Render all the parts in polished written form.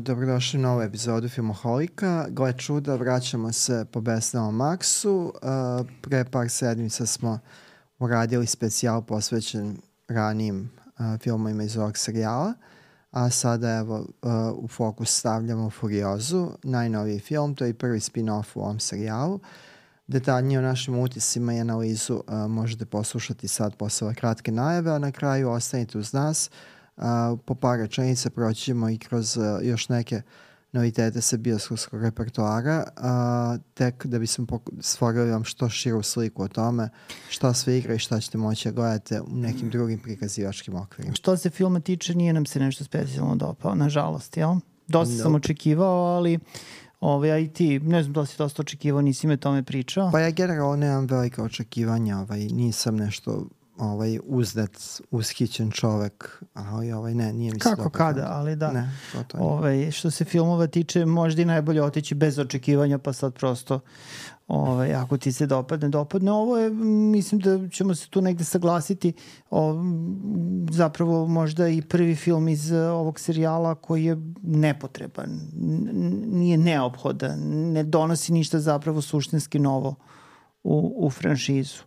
Dobrodošli u novu epizodu Filmoholika. Gle čuda, vraćamo se po Besnelom Maxu. Pre par sedmica smo uradili specijal posvećen ranijim filmovima iz ovog serijala, a sada evo u fokus stavljamo Furiozu, najnoviji film, to je i prvi spin-off u ovom serijalu. Detaljnije o našim utisima i analizu možete poslušati sad posle ove kratke najave, a na kraju ostanite uz nas. Po par rečenica proćemo i kroz još neke novitete sa bioskopskog repertoara, tek da bismo stvorili vam što širu sliku o tome šta sve igra i šta ćete moći da gledate u nekim drugim prikazivačkim okvirima. Što se filma tiče, nije nam se nešto specijalno dopao, nažalost, jel? Dosta sam očekivao, ali a i ti, ne znam da li si dosta očekivao, nisi me tome pričao. Pa ja generalno nemam velike očekivanja, nisam nešto uzdet, ushićen čovek, ali nije mi se kako kada, ali da. Ne, to nije. Što se filmova tiče, možda i najbolje otići bez očekivanja, pa sad prosto ako ti se dopadne. Ovo je, mislim da ćemo se tu negde saglasiti, zapravo možda i prvi film iz ovog serijala koji je nepotreban, nije neophodan, ne donosi ništa zapravo suštinski novo u franšizu.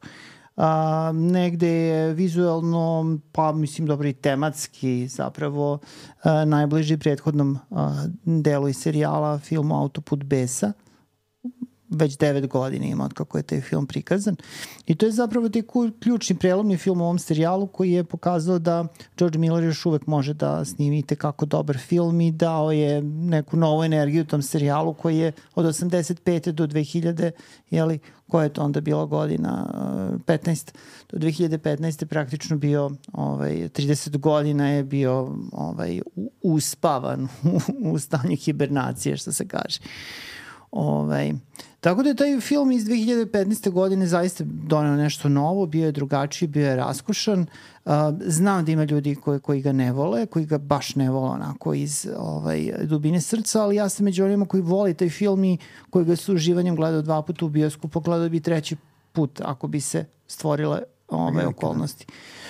Negde je vizuelno, pa mislim dobro i tematski zapravo najbliži prethodnom delu iz serijala, filmu Autoput besa. Već 9 godina ima od kako je taj film prikazan. I to je zapravo taj ključni prelomni film u ovom serijalu koji je pokazao da George Miller još uvek može da snimi kako dobar film i dao je neku novu energiju u tom serijalu koji je od 85. do 2000, jeli, koja je to onda bila godina, 15. Do 2015. praktično bio, 30 godina je bio uspavan u stanju hibernacije, što se kaže. Tako da je taj film iz 2015. godine zaista doneo nešto novo, bio je drugačiji, bio je raskošan. Znam da ima ljudi koji ga ne vole, koji ga baš ne vole onako iz dubine srca, ali ja sam među onima koji voli taj film i koji ga s uživanjem gledao 2 puta u bioskopu, gledao bi 3. put ako bi se stvorile okolnosti.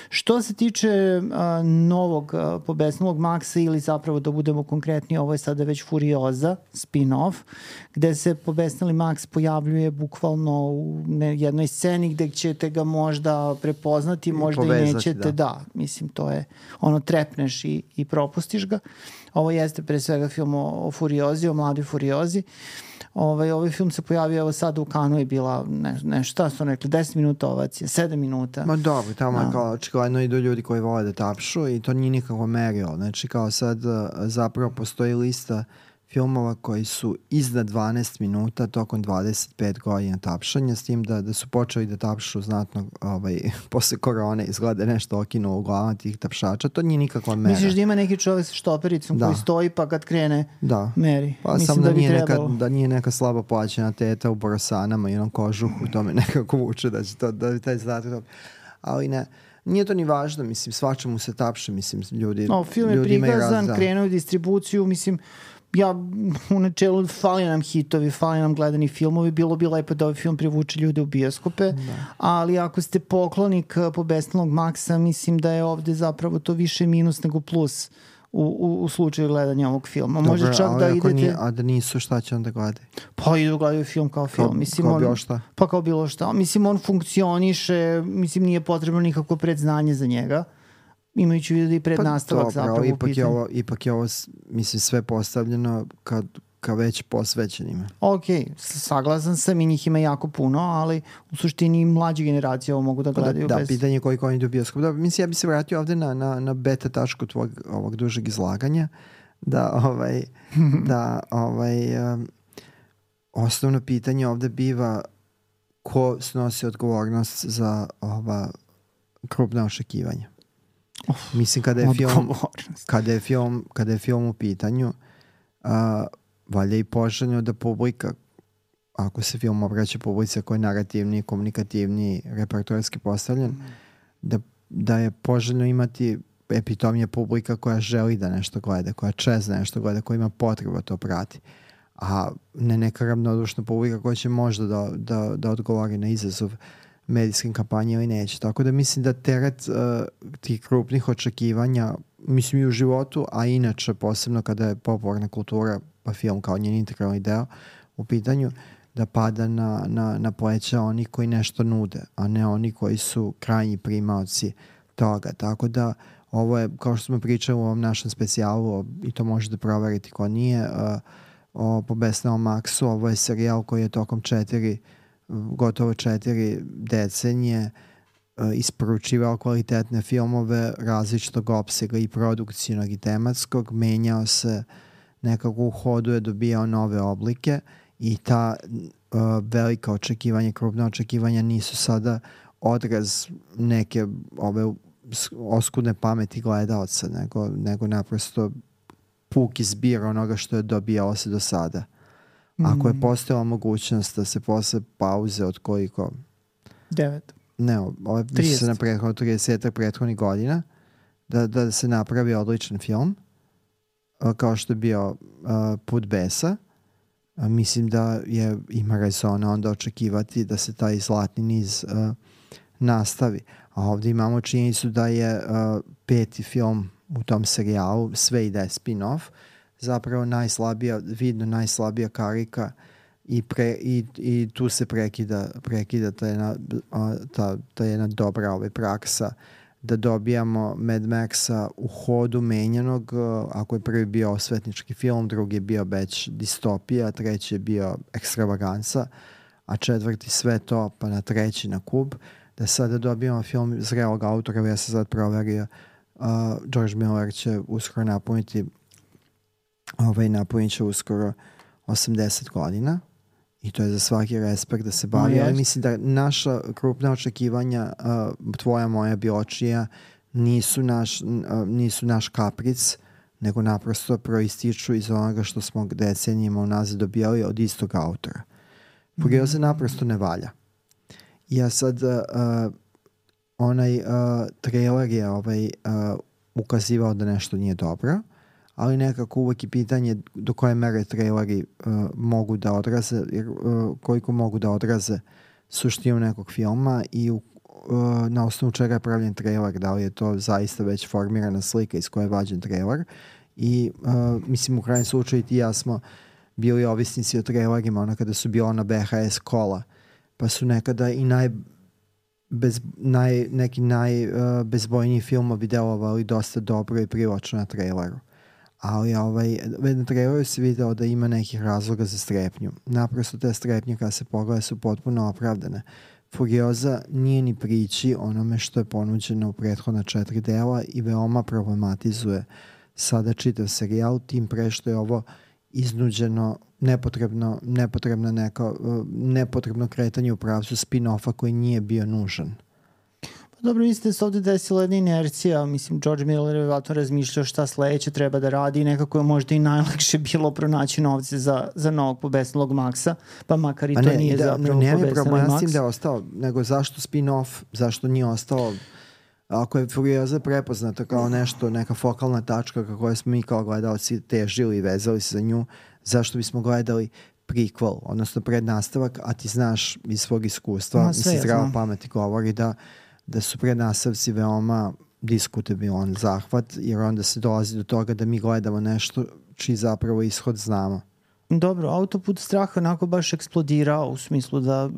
Što se tiče novog pobesnulog Maxa, ili zapravo da budemo konkretni, ovo je sada već Furioza, spin-off, gde se pobesnuli Max pojavljuje bukvalno u jednoj sceni gde ćete ga možda prepoznati, možda i nećete. Da, mislim, to je trepneš i propustiš ga. Ovo jeste pre svega film o Furiozi, o mladoj Furiozi. Ovaj film se pojavio sada u Kanu, je bila nešto, šta su rekli, 10 minuta ovacije, 7 minuta. Ma dobro, tamo je kao očigledno idu ljudi koji vole da tapšu i to nije nikako merilo. Znači kao sad zapravo postoji lista filmova koji su iznad 12 minuta tokom 25 godina tapšanja, s tim da su počeli da tapšu znatno posle korone, izgleda nešto okinulo u glavama tih tapšača, to nije nikakva mera. Misliš da ima neki čovek sa štopericom koji stoji pa kad krene meri? Pa mislim sam da nije neka slabo plaćena teta u borosanama i onom kožuhu, to me nekako vuče da će to, da taj zadatak, ali ne. Nije to ni važno, mislim, svačemu se tapše, mislim, ljudi film je prikazan, krenuo u distribuciju, mislim, ja u načelu fali nam hitovi, fali nam gledani filmovi, bilo bi lepo da ovaj film privuče ljude u bioskope, ali ako ste poklonik pobesnulog Maxa, mislim da je ovde zapravo to više minus nego plus u slučaju gledanja ovog filma. Može čak da idete... A da nisu, šta će onda gledati? Pa idu gledaju film kao film. Mislim, kao bilo šta? Pa kao bilo šta. Mislim, on funkcioniše, mislim, nije potrebno nikako predznanje za njega. Imajući vidio da i prednastavak zapravo u pitanju. Ipak je ovo, mislim, sve postavljeno ka već posvećenima. Ok, saglasan sam i njih ima jako puno, ali u suštini mlađe generacije ovo mogu da gledaju bez... Da, pitanje koliko oni idu u bioskop. Da, mislim, ja bi se vratio ovde na beta tačku tvojeg ovog dužeg izlaganja, osnovno pitanje ovde biva ko snosi odgovornost za ova krupna očekivanja. Mislim, kada je film u pitanju, valja i poželjno da publika, ako se film obraća publici koji je narativni, komunikativni, repertoarski postavljen, da je poželjno imati epitomija publika koja želi da nešto gleda, koja čezne nešto gleda, koja ima potrebu to prati. A ne neka ravnodušna publika koja će možda da odgovori na izazov medijskim kampanje ili neće. Tako da mislim da teret tih krupnih očekivanja mislim i u životu, a inače posebno kada je popularna kultura, pa film kao njen integralni deo u pitanju, da pada na pleća oni koji nešto nude, a ne oni koji su krajnji primaoci toga. Tako da ovo je, kao što smo pričali u ovom našem specijalu, i to možete proveriti ko nije, po Besnelom Maxu, ovo je serijal koji je tokom gotovo 4 decenije isporučivao kvalitetne filmove različitog opsega i produkcijnog i tematskog, menjao se nekako u hodu, je dobijao nove oblike i ta velika očekivanja, krupna očekivanja nisu sada odraz neke ove oskudne pameti gledalca, nego naprosto puki zbir onoga što je dobijalo se do sada. Ako je postojala mogućnost da se posle pauze od koliko? 9. Ne, ovo misli se na 30 prethodnih godina, da se napravi odličan film, kao što je bio Put besa. Mislim da ima rezona onda očekivati da se taj zlatni niz nastavi. A ovdje imamo činjenicu da je 5. film u tom serijalu, sve ide spin-off, zapravo vidno najslabija karika i tu se prekida ta jedna dobra praksa da dobijamo Mad Maxa u hodu menjanog. Ako je prvi bio osvetnički film, drugi je bio već distopija, treći je bio ekstravaganca, a 4. sve to, pa na 3. na kub, da sada dobijamo film zrelog autora. Ja sam sad proverio, George Miller će uskoro napunit će uskoro 80 godina i to je za svaki respekt da se bavi, ali mislim da naša krupna očekivanja, tvoja, moja, Biočija, nisu naš kapric, nego naprosto proističu iz onoga što smo decenijima unazad dobijali od istog autora. Furioza naprosto ne valja. Ja sad onaj trailer je ukazivao da nešto nije dobro, ali nekako uvek je pitanje do koje mere traileri mogu da odraze, koliko mogu da odraze suštinu nekog filma i na osnovu čega je pravljen trailer, da li je to zaista već formirana slika iz koje je vađen trailer. I mislim, u krajnjem slučaju ti i ja smo bili ovisnici o trailerima, kada su bila na VHS kola, pa su nekada i neki najbezbojniji filmovi delovali dosta dobro i privlačno na traileru. Ali na traileru se video da ima nekih razloga za strepnju. Naprosto te strepnje kada se pogleda su potpuno opravdane. Furioza nije ni priči onome što je ponuđeno u prethodna 4 dela i veoma problematizuje sada čitav serijal, tim pre što je ovo iznuđeno nepotrebno kretanje u pravcu spin-offa koji nije bio nužan. Dobro, mislite da se ovdje desila jedna inercija, mislim, George Miller je vjerojatno razmišljao šta sledeće treba da radi i nekako je možda i najlakše bilo pronaći novce za novog Pobesnelog Maxa, pa makar i to nije zapravo Pobesneli Max. Ja da je ostao, nego zašto spin-off, zašto nije ostao, ako je Furioza prepoznata kao nešto, neka fokalna tačka kako smo mi kao gledalci težili i vezali se za nju, zašto bismo gledali prequel, odnosno prednastavak, a ti znaš iz svog iskustva, mislim, zdravo pameti govori da su prednastavci veoma diskutabilan zahvat, jer onda se dolazi do toga da mi gledamo nešto čiji zapravo ishod znamo. Dobro, Autoput straha onako baš eksplodirao u smislu da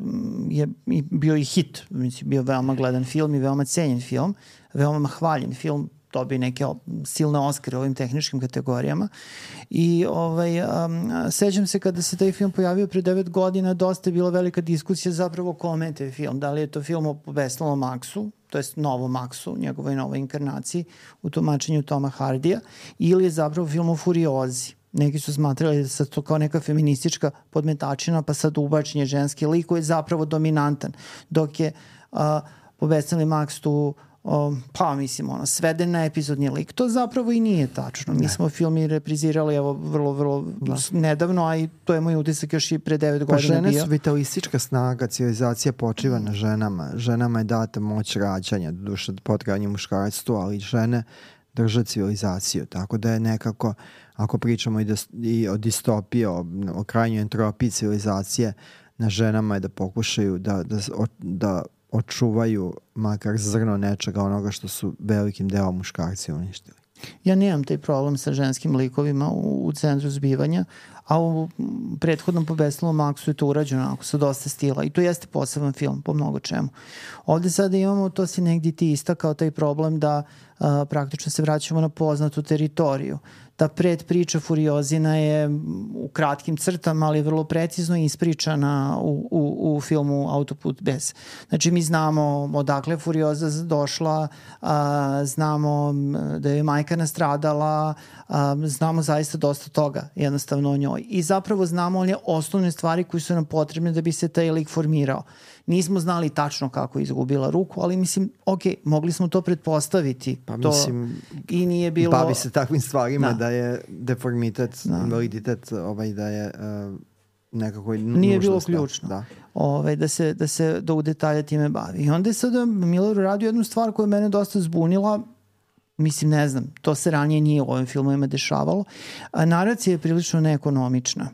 je bio i hit, mislim, bio veoma gledan film i veoma cenjen film, veoma hvaljen film, dobio neke silne Oscare u ovim tehničkim kategorijama i sećam se kada se taj film pojavio pre 9 godina, dosta je bila velika diskusija zapravo kome je taj film, da li je to film o Pobesnelom Maxu, to jest novom Maxu, njegovoj novoj inkarnaciji u tumačenju Toma Hardija, ili je zapravo film o Furiozi. Neki su smatrali da se to kao neka feministička podmetačina, pa sad ubačenje ženski lik koji je zapravo dominantan, dok je Pobesneli Max tu sveden na epizodni lik. To zapravo i nije tačno. Mi smo film i reprizirali vrlo nedavno, a i to je moj utisak još i pre 9 godina bio. Pa žene su vitalistička snaga, civilizacija počiva na ženama. Ženama je data moć rađanja, duša potrebanje muškarstvu, ali žene drže civilizaciju. Tako da je nekako, ako pričamo i o distopiji, o krajnjoj entropiji civilizacije, na ženama je da pokušaju da očuvaju makar zrno nečega onoga što su velikim delom muškarci uništili. Ja nemam taj problem sa ženskim likovima u centru zbivanja, a u prethodnom Po besnelom Maksu je to urađeno onako sa dosta stila i to jeste poseban film po mnogo čemu. Ovde sada imamo, to si negdje ti istakao, taj problem da praktično se vraćamo na poznatu teritoriju. Ta predpriča Furiozina je u kratkim crtama, ali vrlo precizno ispričana u filmu Autoput bez. Znači mi znamo odakle Furioza došla, znamo da je majka nastradala, znamo zaista dosta toga jednostavno o njoj. I zapravo znamo one osnovne stvari koje su nam potrebne da bi se taj lik formirao. Nismo znali tačno kako je izgubila ruku, ali mislim, ok, mogli smo to pretpostaviti. Pa to mislim, i nije bilo... bavi se takvim stvarima da je deformitet, invaliditet, da je nekako nije bilo nužnost, ključno. Da u detalje time bavi. I onda je sada Miller uradio jednu stvar koja je mene dosta zbunila. Mislim, ne znam, to se ranije nije u ovim filmovima dešavalo. Naracija je prilično neekonomična.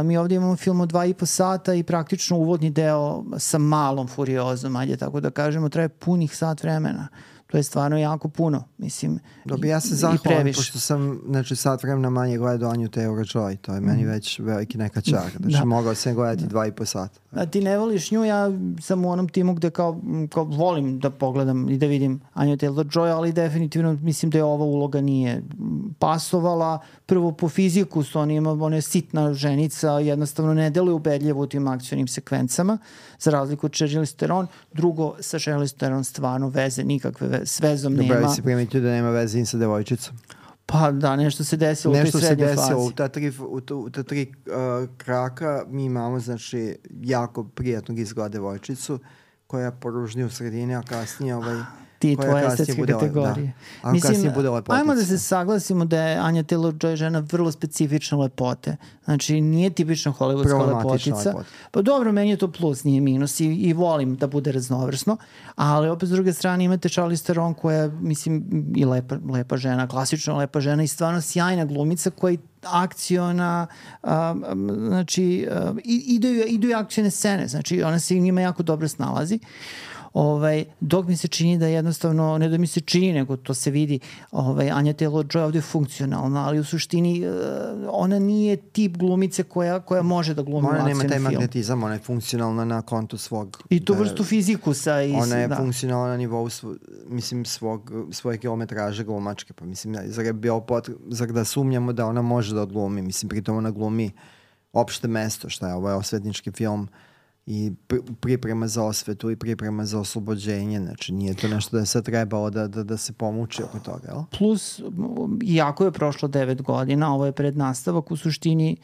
Mi ovdje imamo film od 2,5 sata i praktično uvodni deo sa malom Furiozom, ajde tako da kažemo, traje punih sat vremena. To je stvarno jako puno, mislim. Dobro, ja se zahvalim, pošto sam sat vremena manje gledao Anju Taylor-Joy, to je meni već veliki neka čar. Znači, mogao sam gledati 2,5 sata. A ti ne voliš nju, ja sam u onom timu gde kao volim da pogledam i da vidim Anju Taylor-Joy, ali definitivno mislim da je ova uloga nije pasovala. Prvo, po fiziku su ona je sitna ženica, jednostavno ne deluje ubedljivo u tim akcionim sekvencama, za razliku od Charlize Theron. Drugo, sa Charlize Theron stvarno veze nikakve s vezom nema. Dobro, si primetio da nema veze sa devojčicom. Pa da, nešto se desilo u toj srednjoj fazi. U ta tri kraka mi imamo, znači, jako prijatnog izgleda devojčicu koja poružni u sredini, a kasnije ti tvoje estetske kategorije. Da. Mislim, ajmo da se saglasimo da je Anja Taylor-Joy žena vrlo specifične lepote. Znači, nije tipična hollywoodska lepotica. Pa dobro, meni je to plus, nije minus i volim da bude raznovrsno, ali opet s druge strane imate Charlize Theron koja, mislim, i lepa žena, klasična lepa žena i stvarno sjajna glumica koja je akciona, znači, idu i akcione scene, znači ona se njima jako dobro snalazi. Dok mi se čini da jednostavno, ne da mi se čini, nego to se vidi, Anja Taylor-Joy ovdje je funkcionalna, ali u suštini ona nije tip glumice koja može da glumi u akcijnom filmu. Ona nema taj magnetizam, ona je funkcionalna na kontu svog... I tu vrstu fizikusa. Ona je funkcionalna na nivou svoje kilometraže glumačke, pa mislim, zar da sumnjamo da ona može da odglumi, mislim, pritom ona glumi opšte mesto, šta je, ovo je osvetnički film, i priprema za osvetu i priprema za oslobođenje, znači nije to nešto da je sad trebalo da se pomuči oko toga, jel? Plus, iako je prošlo 9 godina, ovo je prednastavak, u suštini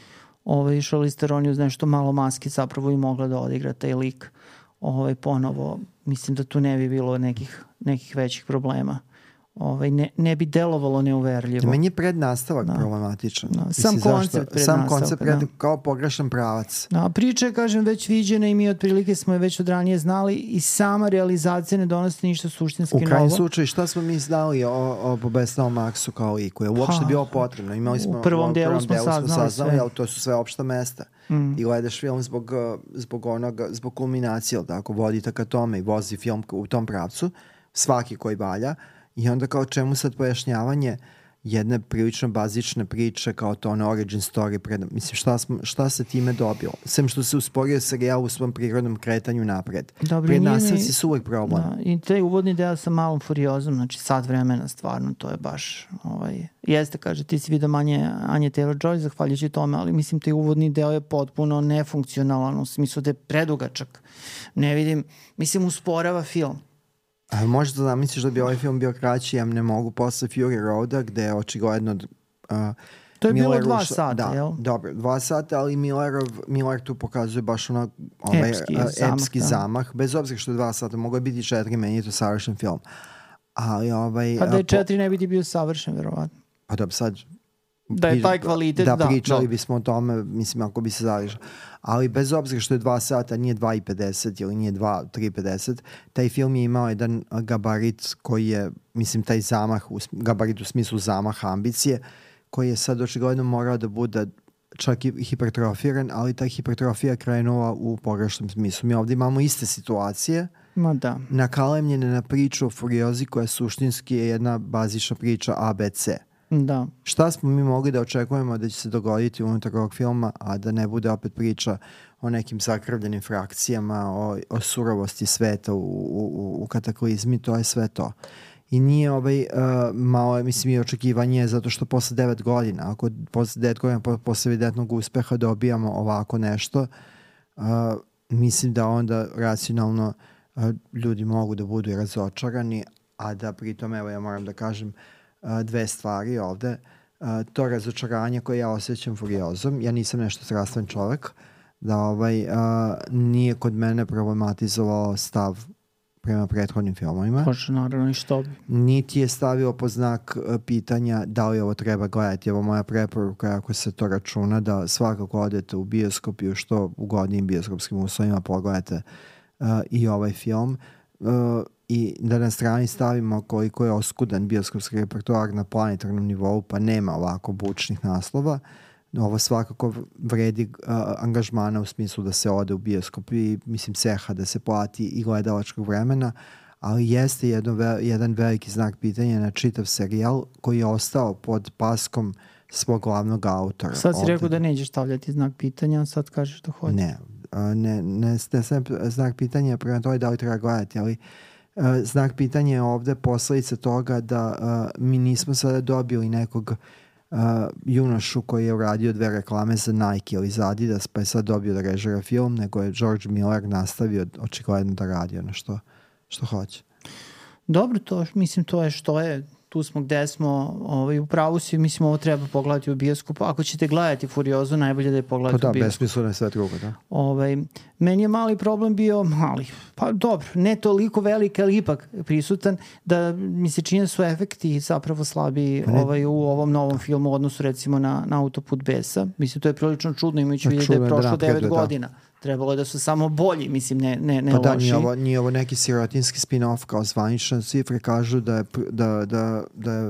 Charlize Theron uz nešto malo maske zapravo i mogla da odigra taj lik ponovo. Mislim da tu ne bi bilo nekih većih problema. Ne bi delovalo neuverljivo. Meni je prednastavak problematičan. Sam koncept kao pogrešan pravac. Priča je, kažem, već viđena i mi otprilike smo je već od ranije znali i sama realizacija ne donosi ništa suštinski novo. U krajnjem slučaju, šta smo mi znali o Po besnelom Maksu kao liku? Je uopšte bilo potrebno? Imali smo, u prvom delu smo saznali, ali to su sve opšta mesta. I gledaš film zbog kulminacije, tako, vodite ka tome i vozi film u tom pravcu, svaki koji valja. I onda kao čemu sad pojašnjavanje jedne prilično bazične priče kao to origin story. Mislim, šta se time dobilo? Sem što se usporio serijal u svom prirodnom kretanju napred. Prednastavci su uvijek problem. I taj uvodni deo sa malom Furiozom, znači sat vremena stvarno, to je baš jeste, kaže, ti si vidio manje Anje Taylor-Joy zahvaljujući tome, ali mislim taj uvodni deo je potpuno nefunkcionalan u smislu da je predugačak. Ne vidim, mislim, usporava film. Možda da misliš da bi ovaj film bio kraći, ja ne mogu, posle Fury Roada, gde je očigledno to je bilo 2 sata, jel? Dobro, 2 sata, ali Miller tu pokazuje baš epski zamah, bez obzira što je 2 sata, mogo je biti 4, meni je to savršen film. Ali pa da je 4 ne bi ti bio savršen, verovatno. Pa da sad... Da je taj kvalitet, da. Pričali bismo o tome, mislim, ako bi se zališao. Ali bez obzira što je 2 sata, nije 2,50 ili nije 3,50, taj film je imao jedan gabarit koji je, mislim, taj zamah, gabarit u smislu zamaha ambicije, koji je sad očigledno morao da bude čak i hipertrofiran, ali ta hipertrofija krenula u pogrešnom smislu. Mi ovdje imamo iste situacije, Ma da. nakalemljene na priču o Furiozi koja suštinski je jedna bazična priča ABC. Da. Šta smo mi mogli da očekujemo da će se dogoditi unutar ovog filma, a da ne bude opet priča o nekim zakrvljenim frakcijama, o surovosti sveta u kataklizmi, to je sve to. I nije malo, mislim, i očekivanje zato što posle 9 godina, ako posle 9 godina posle evidentnog uspeha dobijamo ovako nešto, mislim da onda racionalno ljudi mogu da budu i razočarani, a da pritom, evo ja moram da kažem dve stvari ovde. To razočaranje koje ja osjećam Furiozom, ja nisam nešto strastven čovek, da nije kod mene problematizovao stav prema prethodnim filmovima. Hoće, naravno, i što bi. Niti je stavio po znak pitanja da li ovo treba gledati. Evo moja preporuka, ako se to računa, da svakako odete u bioskop i u što ugodnijim bioskopskim uslovima pogledate i ovaj film. I da na strani stavimo koliko je oskudan bioskopski repertoar na planetarnom nivou, pa nema ovako bučnih naslova. Ovo svakako vredi angažmana u smislu da se ode u bioskop i mislim ceha da se plati i gledalačkog vremena, ali jeste jedan veliki znak pitanja na čitav serijal koji je ostao pod paskom svog glavnog autora. Sad si rekao da nećeš stavljati znak pitanja, a sad kažeš da hoće. Ne znak pitanja prema toj da li treba gledati, ali znak pitanja je ovde posledica toga da mi nismo sada dobili nekog junošu koji je uradio 2 reklame za Nike ili za Adidas pa je sad dobio da režira film, nego je George Miller nastavio očigledno da radi ono što hoće. Dobro, mislim to je što je, tu smo gde smo, u pravu si, mislim ovo treba pogledati u bioskopu. Ako ćete gledati Furiozu, najbolje da je pogledati u bioskopu. Da, besmisleno je sve drugo, da. Meni je mali problem bio, pa dobro, ne toliko velik, ali ipak prisutan, da mi se čini su efekti zapravo slabiji u ovom novom filmu u odnosu recimo na Autoput besa. Mislim, to je prilično čudno, imajući vidjeti da je prošlo 9 godina. Trebalo je da su samo bolji, mislim, ne pa da, loši. Nije ovo neki sirotinski spin-off kao zvanične cifre kažu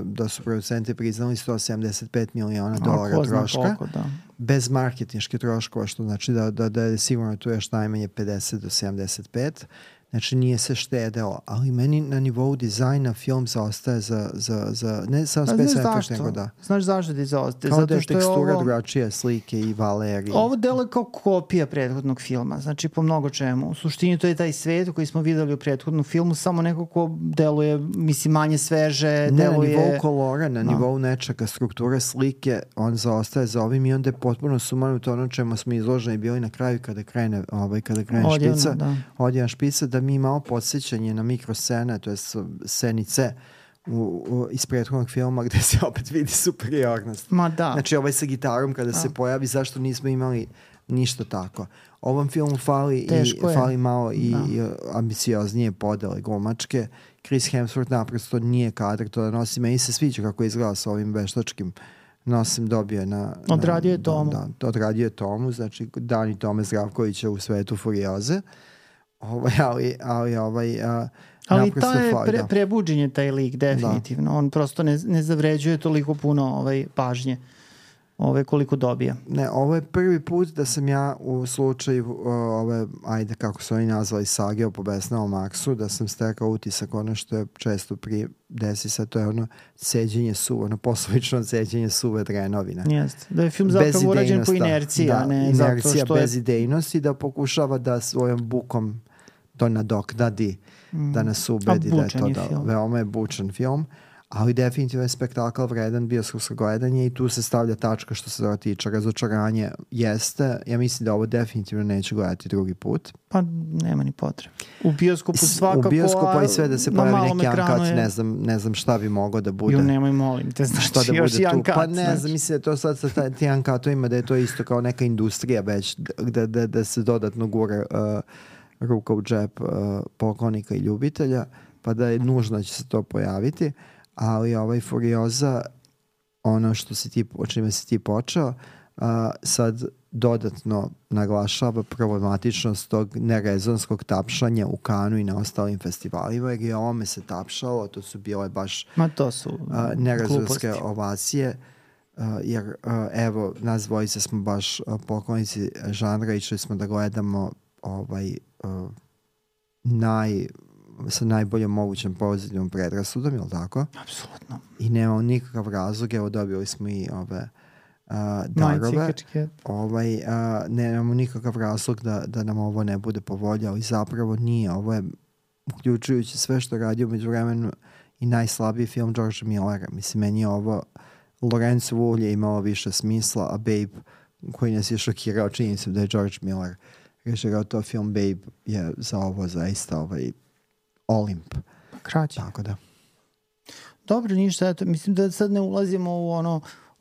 da su producenti priznali $175 miliona troška. Koliko, da. Bez marketinške troškova, što znači da je sigurno tu još najmanje 50 do 75. Znači nije se štedelo, ali meni na nivou dizajna film zaostaje za ne samo specijalne efekte, nego da. Znaš zašto ti zaostaje? Kao da je tekstura drugačije slike i valerije. Ovo delo je kao kopija prethodnog filma, znači po mnogo čemu. U suštini to je taj svet koji smo videli u prethodnom filmu, samo neko ko deluje, mislim, manje sveže, deluje... Na nivou kolora, na nivou nečega, strukture slike, on zaostaje za ovim i onda je potpuno sumanuto ono čemu smo izloženi bili na kraju kada krene špica. Odjevna špica, da mi imamo podsjećanje na mikroscene, to je scenice iz prethodnog filma gde se opet vidi superiornost. Ma da. Znači ovaj sa gitarom kada se pojavi, zašto nismo imali ništa tako. Ovom filmu fali malo i ambicioznije podele glumačke. Chris Hemsworth naprosto nije kadar to da nosi. Meni se sviđa kako izgleda sa ovim veštačkim nosim dobio odradio je Tomu. Da, odradio je Tomu, znači Dani Tome Zdravkovića u svetu Furioze. Ali ta je prebuđen je taj lik, definitivno. Da. On prosto ne zavređuje toliko puno pažnje koliko dobija. Ne, ovo je prvi put da sam ja u slučaju ajde kako su oni nazvali sage o Pobesnelom Marsu, da sam stekao utisak ono što je često desi se, to je ono seđenje poslovično seđenje suve drenovine. Jeste, da je film zapravo urađen po inerciji, a ne zato što je... bez idejnosti, da pokušava da svojom bukom to nadoknadi, da nas ubedi da je to veoma je bučan film, ali definitivno je spektakl vredan bioskopsko gledanje i tu se stavlja tačka što se toga tiče. Razočaranje jeste, ja mislim da ovo definitivno neću gledati drugi put. Pa nema ni potrebe. U bioskopu svakako, u bioskopu i sve da se pojavi neki Uncut, ne znam šta bi moglo da bude. Nemoj molim te, znači šta da još i Uncut. Pa ne znam, mislim da to sad sa ti Uncutovima da je to isto kao neka industrija već, da se dodatno gura ruka u džep poklonika i ljubitelja, pa da je nužno da će se to pojaviti, ali Furioza, ono o čime si ti počeo, sad dodatno naglašava problematičnost tog nerezonskog tapšanja u Kanu i na ostalim festivalima, jer je ovome se tapšalo, to su bile baš nerezonske ovacije, jer evo, nas dvojice smo baš poklonici žanra, išli smo da gledamo sa najboljom mogućem pozitivnom predrasudom, je li tako? Apsolutno. I nemamo nikakav razlog, evo dobili smo i ove darove. Nemamo nikakav razlog da nam ovo ne bude po volji, ali zapravo nije. Ovo je, uključujući sve što radi umeđu vremenu, i najslabiji film Georgea Millera. Mislim, meni je ovo Lorenzo Wool je imao više smisla, a Babe, koji nas je šokirao činjenicom da je George Miller režirao to film, Babe je za ovo zaista Olimp. Kraće. Tako da. Dobro, ništa, eto, mislim da sad ne ulazimo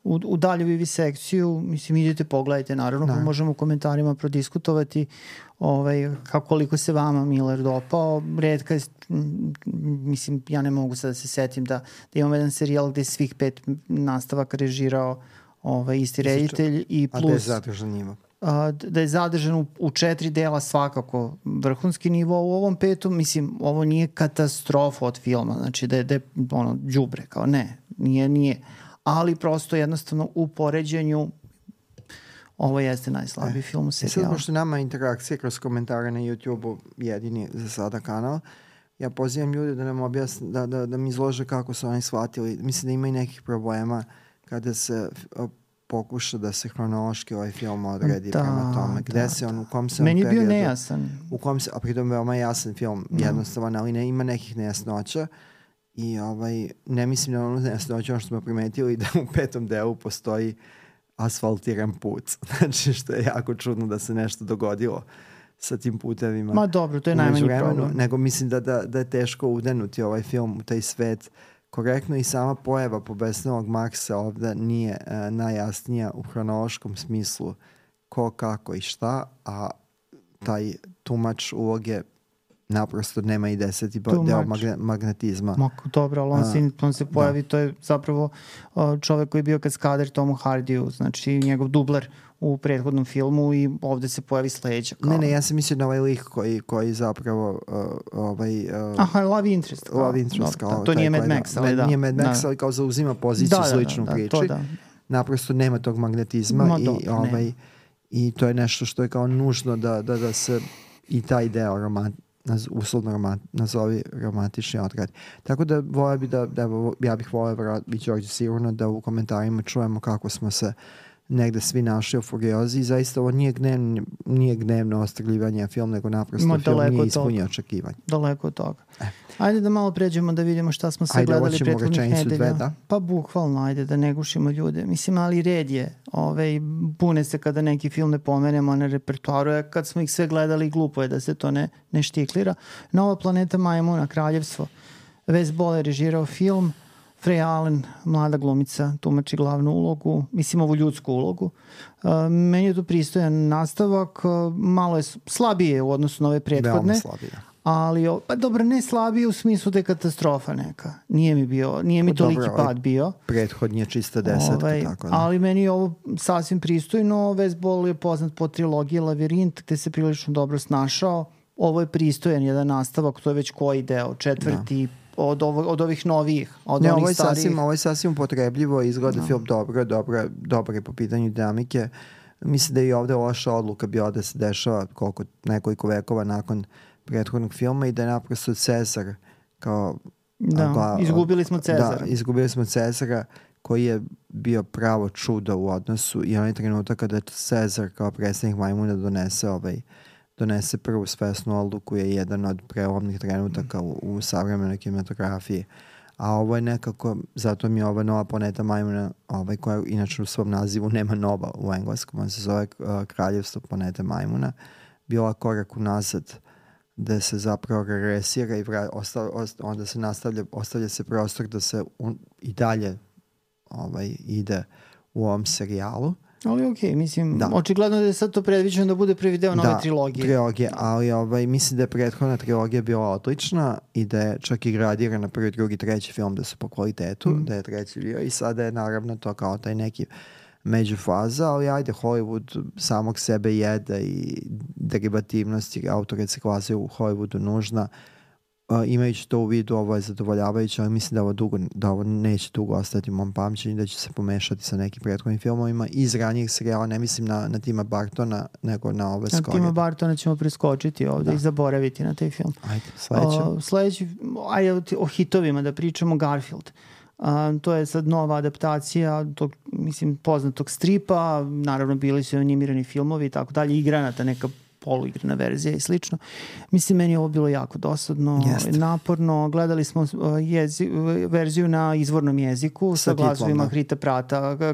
u dalju vivisekciju, mislim, idete, pogledajte, naravno, pa možemo u komentarima prodiskutovati koliko se vama Miller dopao. Redka je, mislim, ja ne mogu sad da se setim da imamo jedan serijal gde je svih 5 nastavaka režirao isti reditelj i plus... A da je zadržan nivo. Da je zadržan u 4 dela svakako vrhunski nivo. U ovom 5. mislim, ovo nije katastrofa od filma, znači da je đubre, kao ne, nije. Ali prosto jednostavno u poređenju ovo jeste najslabiji film u serijalu. Sad, pošto nama interakcije kroz komentare na YouTube-u jedini za sada kanal, ja pozivam ljude da nam objasne, da mi izlože kako su oni shvatili. Mislim da ima i nekih problema kada se pokuša da se hronološki ovaj film odredi prema tome. Gde se on, u kom se on periodu... Meni je bio nejasan. A pritom veoma jasan film, jednostavan, ali ima nekih nejasnoća. I ne mislim da ono nejasnoća, ono što smo primetili, da u 5. delu postoji asfaltiran put. Znači, što je jako čudno da se nešto dogodilo sa tim putevima. Ma dobro, to je najmanji problem. Nego mislim da je teško udenuti ovaj film u taj svet korektno, i sama pojava pobesnelog Marksa ovde nije najjasnija u hronološkom smislu ko, kako i šta, a taj tumač uloge naprosto nema i 10. deo magnetizma. Dobro, ali on se pojavi, to je zapravo čovek koji je bio kaskader Tomu Hardiju, znači njegov dubler u prethodnom filmu, i ovde se pojavi sledeća. Ne, ja sam mislio na ovaj lik koji zapravo Love Interest. Love Interest. To nije Mad Max, ali da. Nije Mad Max, ali kao zauzima poziciju sličnu priči. Naprosto nema tog magnetizma i to je nešto što je kao nužno da se i taj deo uslovno nazovi romantični odgrad. Tako da ja bih voleo i Đorđe sigurno da u komentarima čujemo kako smo se negde svi našli u Furiozi, i zaista ovo nije gnevno ostrgljivanje film, nego naprosto film nije ispunio očekivanje. Daleko od toga. Ajde da malo pređemo da vidimo šta smo sve gledali prethodnih nedelja. Pa bukvalno, ajde da ne gušimo ljude. Mislim, ali red je. Pune se kada neki film ne pomenemo na repertoaru, kad smo ih sve gledali, glupo je da se to ne štiklira. Nova planeta majmuna, Kraljevstvo. Wes Ball je režirao film. Freya Allen, mlada glumica, tumači glavnu ulogu, mislim ovu ljudsku ulogu. Meni je to pristojan nastavak, malo je slabije u odnosu na ove prethodne. Ali, pa dobro, ne slabije u smislu da je katastrofa neka. Nije mi toliki pad bio. Prethodnji je čista 10. Tako da. Ali meni je ovo sasvim pristojno. Wes Ball je poznat po trilogiji Lavirint, gde se prilično dobro snašao. Ovo je pristojan jedan nastavak, to je već koji deo, 4. od ovih novijih, od onih starijih. Ovo je sasvim potrebljivo, izgleda film dobro je po pitanju dinamike. Mislim da je i ovde loša odluka bila da se dešava nekoliko vekova nakon prethodnog filma i da je naprosto Cezar kao... izgubili smo Cezara. Da, izgubili smo Cezara, koji je bio pravo čudo u odnosu, i onaj trenutak kada je Cezar kao predstavnik majmuna donese prvu svesnu odluku je jedan od prelomnih trenutaka u savremenoj kinematografiji. A ovo je nekako, zato mi je ova Nova planeta majmuna, koja inače u svom nazivu nema nova u engleskom, on se zove Kraljevstvo planete majmuna, bila korak unazad, da se zapravo regresira i onda se ostavlja se prostor da se i dalje ide u ovom serijalu. Ali okej, mislim, očigledno da je sad to predviđeno da bude prvi deo nove trilogije. Ali mislim da je prethodna trilogija bila odlična i da je čak i gradirana prvi, drugi, treći film da su po kvalitetu, da je treći bio, i sada je naravno to kao taj neki međufaza, ali ajde, Hollywood samog sebe jede i derivativnosti autoreciklaze u Hollywoodu nužna. imajući to u vidu, ovo je zadovoljavajuće, ali mislim da ovo neće dugo ostati u mom pamćenju, da će se pomešati sa nekim prethodnim filmovima iz ranijih serijala, ne mislim na Tima Bartona, nego na ove skorije. Na Tima Bartona ćemo preskočiti ovde i zaboraviti na taj film. Ajde, sledeći, o hitovima da pričamo, Garfield. To je sad nova adaptacija tog, mislim, poznatog stripa, naravno bili su animirani filmovi i tako dalje, igranata neka poluigrana verzija i slično. Mislim, meni je ovo bilo jako dosadno, naporno. Gledali smo verziju na izvornom jeziku sa glasovima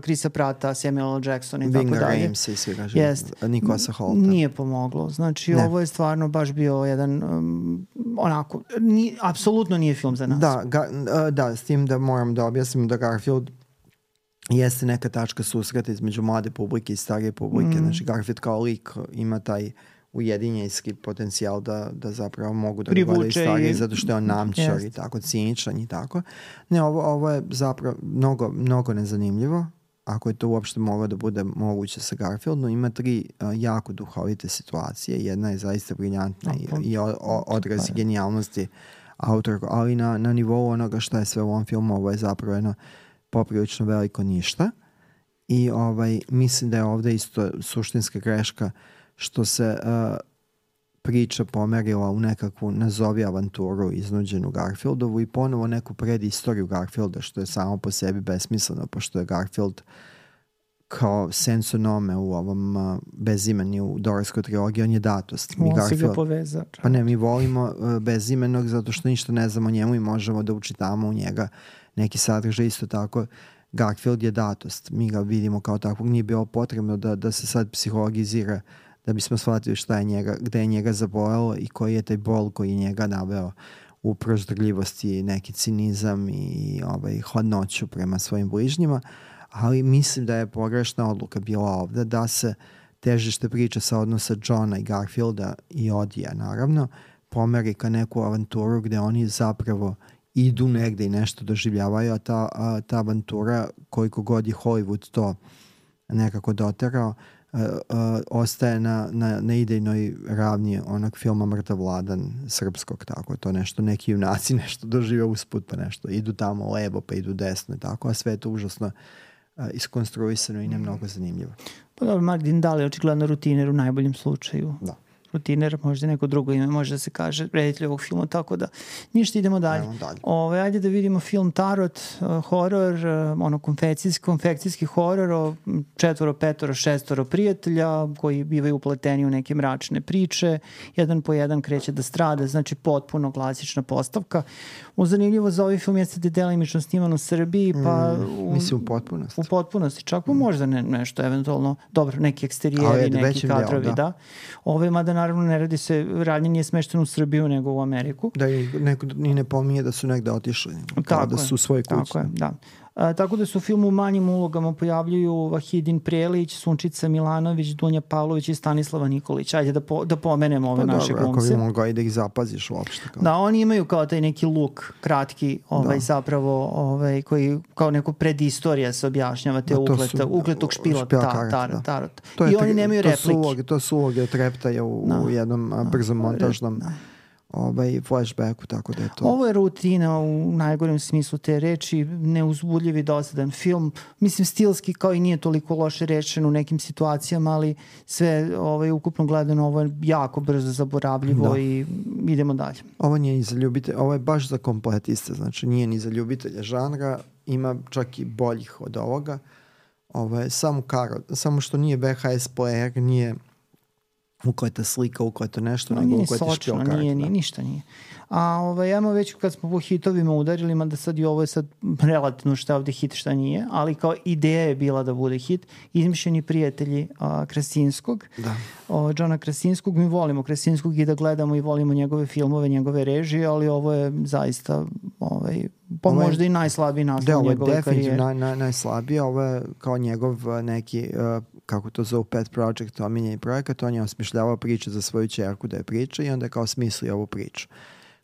Chrisa Prata, Samuel Jacksona i tako dalje. Ramsey, svi kažem, Nikolasa Holta. Nije pomoglo. Znači, ovo je stvarno baš bio jedan onako, apsolutno nije film za nas. Da, s tim da moram da objasnim da Garfield jeste neka tačka susreta između mlade publike i starije publike. Znači, Garfield kao lik ima taj ujedinjenjski potencijal da zapravo mogu da gledaju starije zato što je on namćar i tako, ciničan i tako. Ne, ovo je zapravo mnogo nezanimljivo, ako je to uopšte moglo da bude moguće sa Garfieldom. Ima 3 jako duhovite situacije. Jedna je zaista briljantna i odraz genijalnosti autora, ali na nivou onoga što je sve u ovom filmu, ovo je zapravo jedno poprilično veliko ništa. I mislim da je ovde isto suštinska greška što se priča pomerila u nekakvu nazovi avanturu iznuđenu Garfieldovu i ponovo neku predistoriju Garfielda, što je samo po sebi besmisleno, pošto je Garfield kao sensonome u ovom bezimeni u Dorskoj trilogiji, on je datost. On si ga poveza. Pa ne, mi volimo bezimenog zato što ništa ne znamo o njemu i možemo da učitamo u njega neki sadržaj. Isto tako Garfield je datost. Mi ga vidimo kao takvog. Nije bilo potrebno da se sad psihologizira da bismo shvatili gde je njega zabolelo i koji je taj bol koji je njega naveo u proždrljivosti, neki cinizam i hladnoću prema svojim bližnjima. Ali mislim da je pogrešna odluka bila ovde da se težište priče sa odnosa Johna i Garfielda i Odija, naravno, pomeri ka neku avanturu gde oni zapravo idu negde i nešto doživljavaju, a ta avantura, koliko god je Hollywood to nekako doterao, ostaje na idejnoj ravni onog filma Mrtav Vladan srpskog, tako to nešto, neki junaci nešto dožive usput, pa nešto idu tamo levo pa idu desno i tako, a sve je to užasno iskonstruisano i ne mnogo zanimljivo. Pa dobro, Martin Dahl je očigledno rutiner u najboljem slučaju. Da. Rutiner, možda neko drugo ime, može da se kaže reditelj ovog filma, tako da ništa, idemo dalje. Ajde da vidimo film Tarot, horor, konfekcijski horor o 4, 5, 6 prijatelja koji bivaju upleteni u neke mračne priče, jedan po jedan kreće da strada, znači potpuno klasična postavka. Zanimljivo za ovaj film jeste da je delimično sniman u Srbiji, pa mislim u potpunosti. U potpunosti, čak možda nešto eventualno, dobro, neki eksterijeri, neki kadrovi, da. Mada naravno ne radi se, radnje nije smešteno u Srbiju nego u Ameriku. Da, i neko ni ne pominje da su negde otišli, kao da su u svojoj kući. Tako je, da. Tako da su u filmu u manjim ulogama pojavljuju Vahidin Prelić, Sunčica Milanović, Dunja Pavlović i Stanislava Nikolić. Ajde da pomenemo ove naše glumce. Ako bi mogao i da ih zapaziš uopšte. Da, oni imaju kao taj neki luk kratki, zapravo, koji kao neko predistorija se objašnjava te ukletog špila Tarot. I oni nemaju replike. To su uloge treptaja u jednom brzom montažnom flashbacku, tako da je to. Ovo je rutina u najgorem smislu te reči, neuzbudljiv i dosadan film. Mislim, stilski kao i nije toliko loše rečen u nekim situacijama, ali sve ukupno gledano ovo je jako brzo zaboravljivo i idemo dalje. Ovo nije ni za ljubitelja, ovo je baš za kompletiste, znači nije ni za ljubitelja žanra, ima čak i boljih od ovoga. Ovo je samo što nije VHS player, nije ukleta slika, ukleto nešto, nego ukleti špil karta. Ništa nije. A ajmo već kad smo po hitovima udarili, mada sad i ovo je sad relativno šta je ovde hit, šta nije, ali kao ideja je bila da bude hit. Izmišljeni prijatelji Krasinskog, Johna Krasinskog. Mi volimo Krasinskog i da gledamo i volimo njegove filmove, njegove režije, ali ovo je zaista pa možda i najslabiji naslov njegove karijere. Ovo je definitivno najslabiji, ovo je kao njegov neki, kako to zove, pet project, omiljeni projekat, on je osmišljavao priče za svoju ćerku da je priča i onda je kao smislio ovu priču.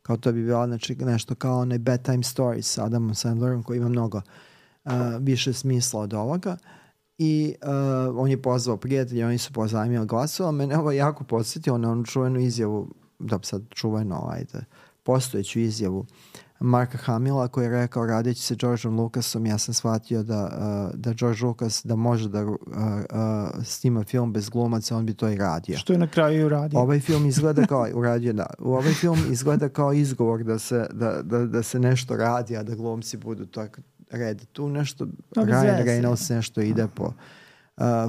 Kao to bi bilo nešto kao onaj Bedtime Stories sa Adamom Sandlerom koji ima mnogo više smisla od ovoga i on je pozvao prijatelje, oni su pozajmili glasova, mene ovo jako podsjetio na onu čuvenu izjavu, da sad čuveno, postojeću izjavu Marka Hamila koji je rekao radeći sa Georgeom Lucasom ja sam shvatio da George Lucas da može da snima film bez glumaca, on bi to i radio. Što je na kraju i uradio. Ovaj film izgleda kao uradio, da. Ovaj film izgleda kao izgovor da se nešto radi, a da glumci budu tako red. Tu nešto Ryan Reynolds nešto ide po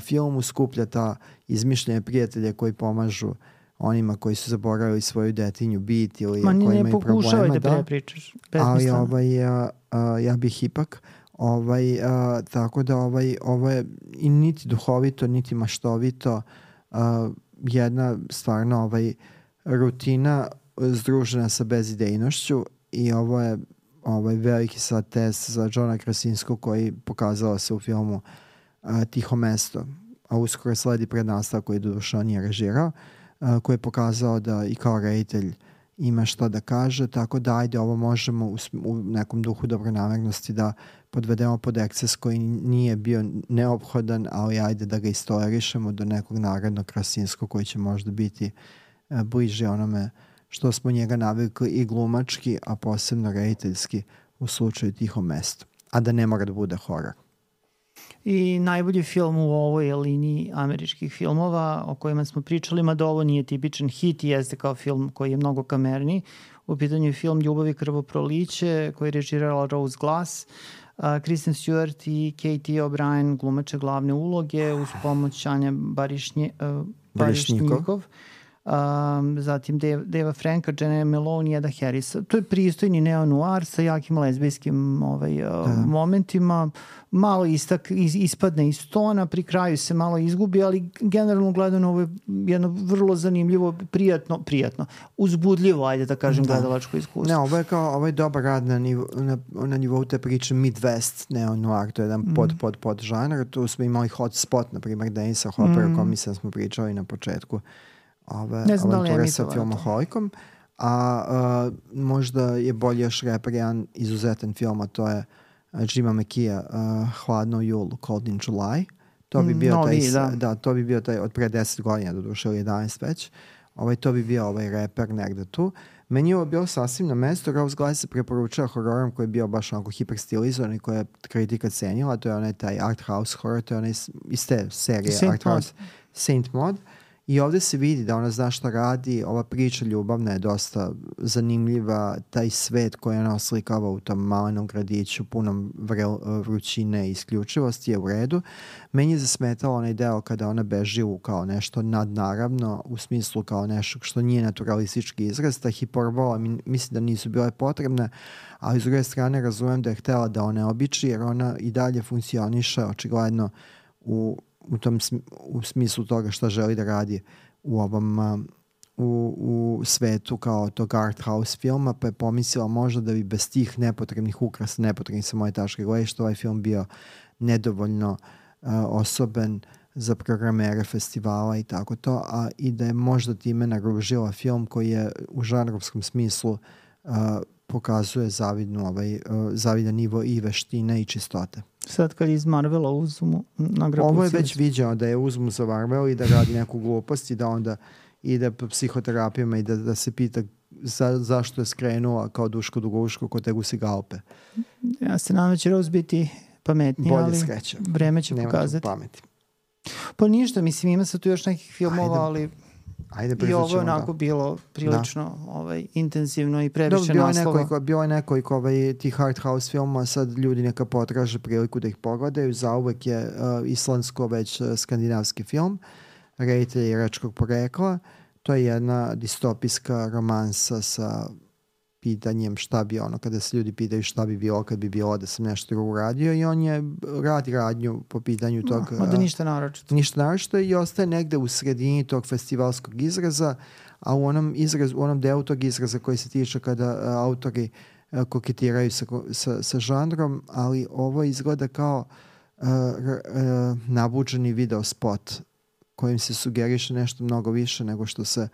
filmu, skuplja ta izmišljene prijatelje koji pomažu onima koji su zaboravili svoju detinju bit ili koji imaju problema. Ma ne pokušavaj da prepričaš. Ali ja bih ipak tako da ovo je i niti duhovito, niti maštovito jedna stvarno rutina združena sa bezidejnošću i ovo je veliki sad test za Johna Krasinskog koji pokazao se u filmu Tiho mesto, a uskoro sledi prednastavak koji doduše on nije režirao, koji je pokazao da i kao reditelj ima šta da kaže, tako da ajde ovo možemo u nekom duhu dobronamernosti da podvedemo pod eksces koji nije bio neophodan, ali ajde da ga istorišemo do nekog narednog Krasinskog koji će možda biti bliže onome što smo njega navikli i glumački, a posebno rediteljski u slučaju Tiho mesto, a da ne mora da bude horor. I najbolji film u ovoj liniji američkih filmova o kojima smo pričali, mada ovo nije tipičan hit i jeste kao film koji je mnogo kamerni. U pitanju je film Ljubav i krvoproliće koji je režirala Rose Glass. Kristen Stewart i Katie O'Brien glumače glavne uloge uz pomoć Anja Barišnikov. Zatim Deva Franka, Jenna Malone i Eda Harrisa. To je pristojni neo-noir sa jakim lezbijskim momentima. Malo ispadne iz tona, pri kraju se malo izgubi, ali generalno gledano ovo je jedno vrlo zanimljivo, prijatno, uzbudljivo, ajde da kažem, gledalačko iskustvo. Ne, ovo je dobar rad na nivou te priče Midwest neo-noir, to je jedan pod žanr. Tu smo imali Hotspot, na primjer, Denisa Hoppera, o kom mislim smo pričali na početku avanture sa filmoholikom, a možda je bolje još reper jedan izuzetan film, a to je Jima McKee, Hladno u julu, Cold in July. To bi bio to bi bio taj od pre 10 godina, doduše ili 11 već. To bi bio reper negde tu. Meni je ovo bilo sasvim na mestu. Rose Glass se preporučava hororom koji je bio baš onako hiperstilizovan i koja je kritika cenila. To je onaj taj art house horror, to je onaj iz te serije Art House Saint Maud. I ovde se vidi da ona zna šta radi, ova priča ljubavna je dosta zanimljiva, taj svet koji ona oslikava u tom malenom gradiću punom vrućine i isključivosti je u redu. Meni je zasmetalo onaj deo kada ona beži u kao nešto nadnaravno, u smislu kao nešto što nije naturalistički izraz, ta hiperbola mislim da nisu bile potrebne, ali s druge strane razumem da je htela da one običi jer ona i dalje funkcioniše očigledno u smislu toga šta želi da radi u ovom u svetu kao tog art house filma, pa je pomislila možda da bi bez tih nepotrebnih ukrasa, nepotrebnih sa moje tačke gledišta, ovaj film bio nedovoljno osoben za programere festivala i tako to, a i da je možda time naružila film koji je u žanrovskom smislu pokazuje zavidan nivo i veštine i čistote. Sad kad iz Marvela uzmu nagradu. Ovo je već viđeno da je uzmu za Marvel i da radi neku glupost i da onda ide po psihoterapijama i da se pita zašto je skrenula kao Duško Duguško kod te gusi galpe. Ja se nadam da će Rose biti pametniji, ali sreća. Vreme će pokazati. Pameti. Pa ništa, mislim ima se tu još nekih filmova, ali i ovo je onako bilo prilično intenzivno i previše naslova. Bilo je nekoliko tih art house filmova, sad ljudi neka potraže priliku da ih pogledaju. Zauvek je islandsko već skandinavski film, reditelj iračkog porekla. To je jedna distopijska romansa sa pitanjem šta bi kada se ljudi pitaju šta bi bilo kad bi bilo da sam nešto drugo uradio i on radi radnju po pitanju tog... da ništa naročito. Ništa naročito i ostaje negde u sredini tog festivalskog izraza, a u onom delu tog izraza koji se tiče kada autori koketiraju sa žanrom, ali ovo izgleda kao nabuđeni video spot kojim se sugeriše nešto mnogo više nego što se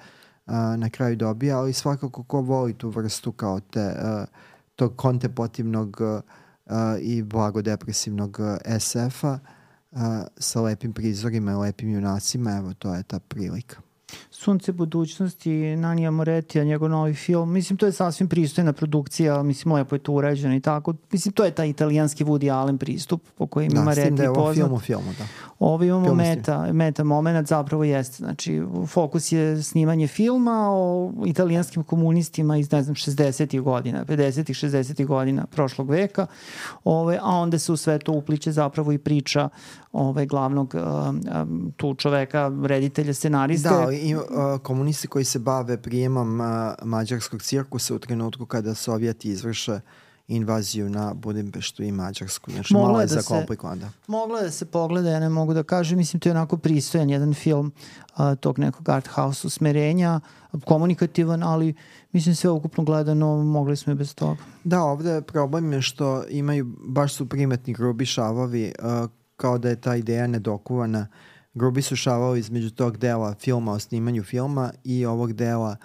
na kraju dobija, ali svakako ko voli tu vrstu kao tog kontemplativnog i blagodepresivnog SF-a sa lepim prizorima i lepim junacima, evo to je ta prilika. Sunce budućnosti, Nanija Moretija, njegov novi film. Mislim, to je sasvim pristojna produkcija, mislim, lepo je to urađeno i tako. Mislim, to je taj italijanski Woody Allen pristup po kojem ima Moretti poznat. Da, s tim da je ovo filmu, da. Ovo imamo meta moment, zapravo jeste. Znači, fokus je snimanje filma o italijanskim komunistima iz, ne znam, 60-ih godina, 50-ih, 60-ih godina prošlog veka, a onda se u sve to upliče zapravo i priča glavnog tu čoveka, reditelja, scenariste. Da, i komunisti koji se bave prijemom mađarskog cirkusa u trenutku kada Sovjeti izvrše invaziju na Budimpeštu i Mađarsku. Znači, malo je zakomplikovano. Moglo je da se pogleda, ja ne mogu da kažem, mislim, to je onako pristojan jedan film tog nekog art house usmerenja, komunikativan, ali mislim sve ukupno gledano mogli smo i bez toga. Da, ovde problem je što imaju, baš su primetni grubi šavovi, kao da je ta ideja nedokuvana. Grubi su šavovi između tog dela filma o snimanju filma i ovog dela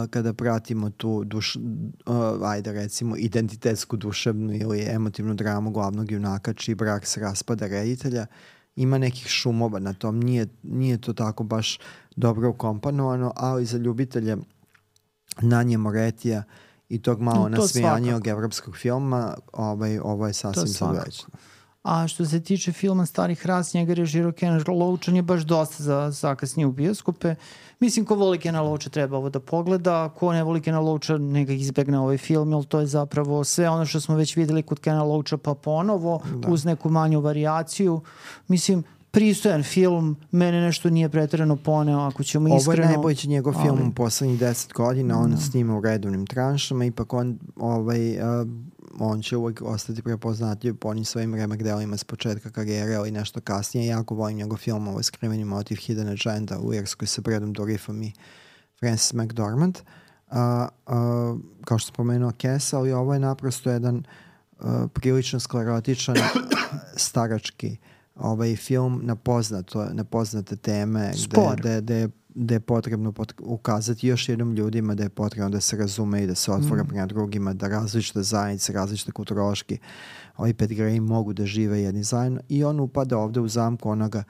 kada pratimo tu ajde recimo identitetsku, duševnu ili emotivnu dramu glavnog junaka čiji brak se raspada reditelja, ima nekih šumova na tom, nije to tako baš dobro ukomponovano, ali za ljubitelje Nanije Moretija i tog malo nasmejanijog evropskog filma ovo je sasvim zavrećeno. A što se tiče filma Starih ras, njega režirao Ken Loach, on je baš dosta zakasnije u bioskope. Mislim, ko voli Kena Loacha treba ovo da pogleda, ko ne voli Kena Loacha neka izbegne ovaj film, jer to je zapravo sve ono što smo već videli kod Kena Loacha pa ponovo, uz neku manju varijaciju. Mislim, pristojan film, mene nešto nije preterano poneo, ako ćemo iskreno. Ovo je najbolji njegov film u poslednjih 10 godina, on snima u redovnim tranšama, ipak on će uvijek ostati prepoznatljiv po onim svojim remek delima s početka karijere, ali nešto kasnije. Jako volim njegov film, ovo je Skriveni motiv Hidden Agenda u Irskoj sa Bradom Dourifom i Frances McDormand. Kao što spomenuo Kes, ali ovo je naprosto jedan prilično sklerotičan starački film na poznate teme gde je potrebno ukazati još jednom ljudima da je potrebno da se razume i da se otvore prema drugima, da različite zajednice, različite kulturološki pedigreji mogu da žive jedni zajedno, i on upada ovde u zamku onoga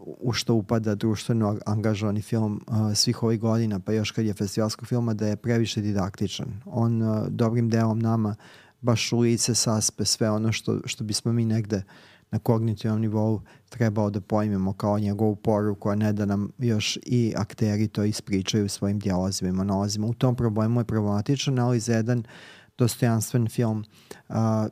u što upada društveno angažovani film svih ovih godina, pa još kad je festivalskog filma, da je previše didaktičan. On dobrim delom nama baš u lice saspe sve ono što bismo mi negde na kognitivnom nivou trebao da pojmemo kao njegovu poruku, a ne da nam još i akteri to ispričaju svojim dijalozima i monolozima. U tom problemu je problematičan, ali za jedan dostojanstven film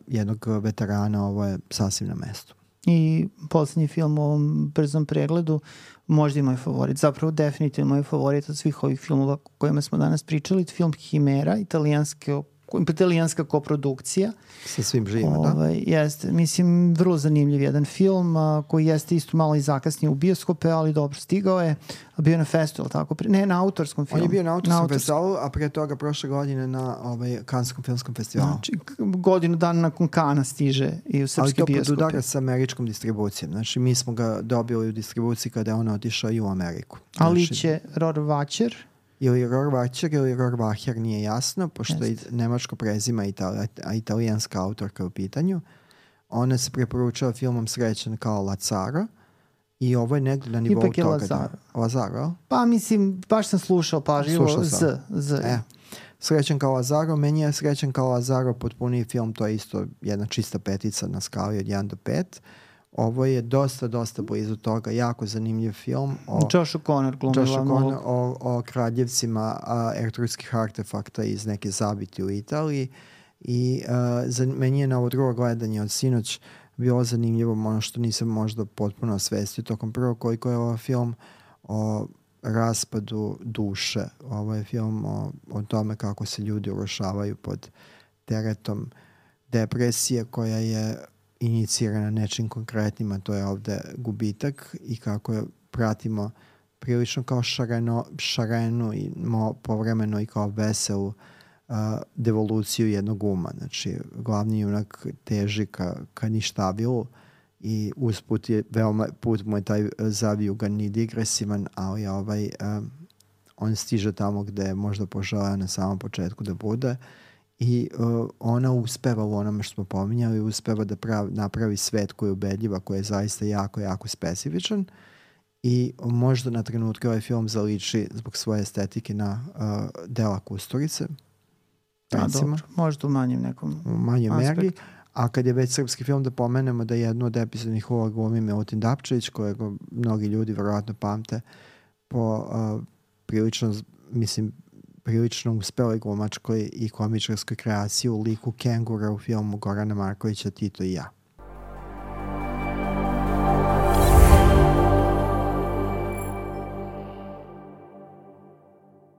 jednog veterana ovo je sasvim na mestu. I poslednji film u ovom brzom pregledu, možda i moj favorit, zapravo definitivno moj favorit od svih ovih filmova o kojima smo danas pričali, film Himera, italijanska koprodukcija. Sa svim živima, da? Jeste, mislim, vrlo zanimljiv jedan film koji jeste isto malo i zakasnije u bioskope, ali dobro stigao je. Bio na festivalu, tako? Ne, na autorskom filmu. On je bio na autorskom festivalu, a pre toga prošle godine na Kanskom filmskom festivalu. Znači, godinu dana nakon Kana stiže i u srpski bioskope. Ali to podudara sa američkom distribucijom. Znači, mi smo ga dobili u distribuciji kada je on otišao i u Ameriku. Ali će Rohrwacher ili Rohrwacher ili Rohrwacher, nije jasno, pošto je nemačko prezima a italijanska autorka u pitanju. Ona se preporučava filmom Srećan kao Lazaro i ovo je negdje na nivou ipak je toga. Lazaro? Pa mislim, baš sam slušao pažljivo Srećan kao Lazaro, meni je Srećan kao Lazaro potpuniji film, to je isto jedna čista petica na skali od 1 do 5. Ovo je dosta blizu toga, jako zanimljiv film o kraljevcima ertrudskih artefakta iz neke zabiti u Italiji, i meni je na ovo drugo gledanje od sinoć bilo zanimljivo, ono što nisam možda potpuno osvestio tokom prvog, koliko je ovo film o raspadu duše. Ovo je film o tome kako se ljudi urušavaju pod teretom depresije koja je inicirana nečim konkretnim, a to je ovde gubitak, i kako je pratimo prilično kao šarenu i povremeno i kao veselu devoluciju jednog uma. Znači, glavni junak teži ka ništavilu i usput je put mu je taj zavijugan i digresivan, ali on stiže tamo gde je možda poželeo na samom početku da bude, i ona uspeva u onome što smo pominjali, uspeva da napravi svet koji je ubedljiva, koji je zaista jako, jako specifičan, i možda na trenutke ovaj film zaliči zbog svoje estetike na dela Kusturice. Dobro, možda u manjem nekom meri. A kad je već srpski film, da pomenemo da jednu od epizodnih uloga glumi Milutin Dapčević, kojeg mnogi ljudi verovatno pamte po prilično uspeloj glumačkoj i komičarskoj kreaciji u liku Kengura u filmu Gorana Markovića Tito i ja.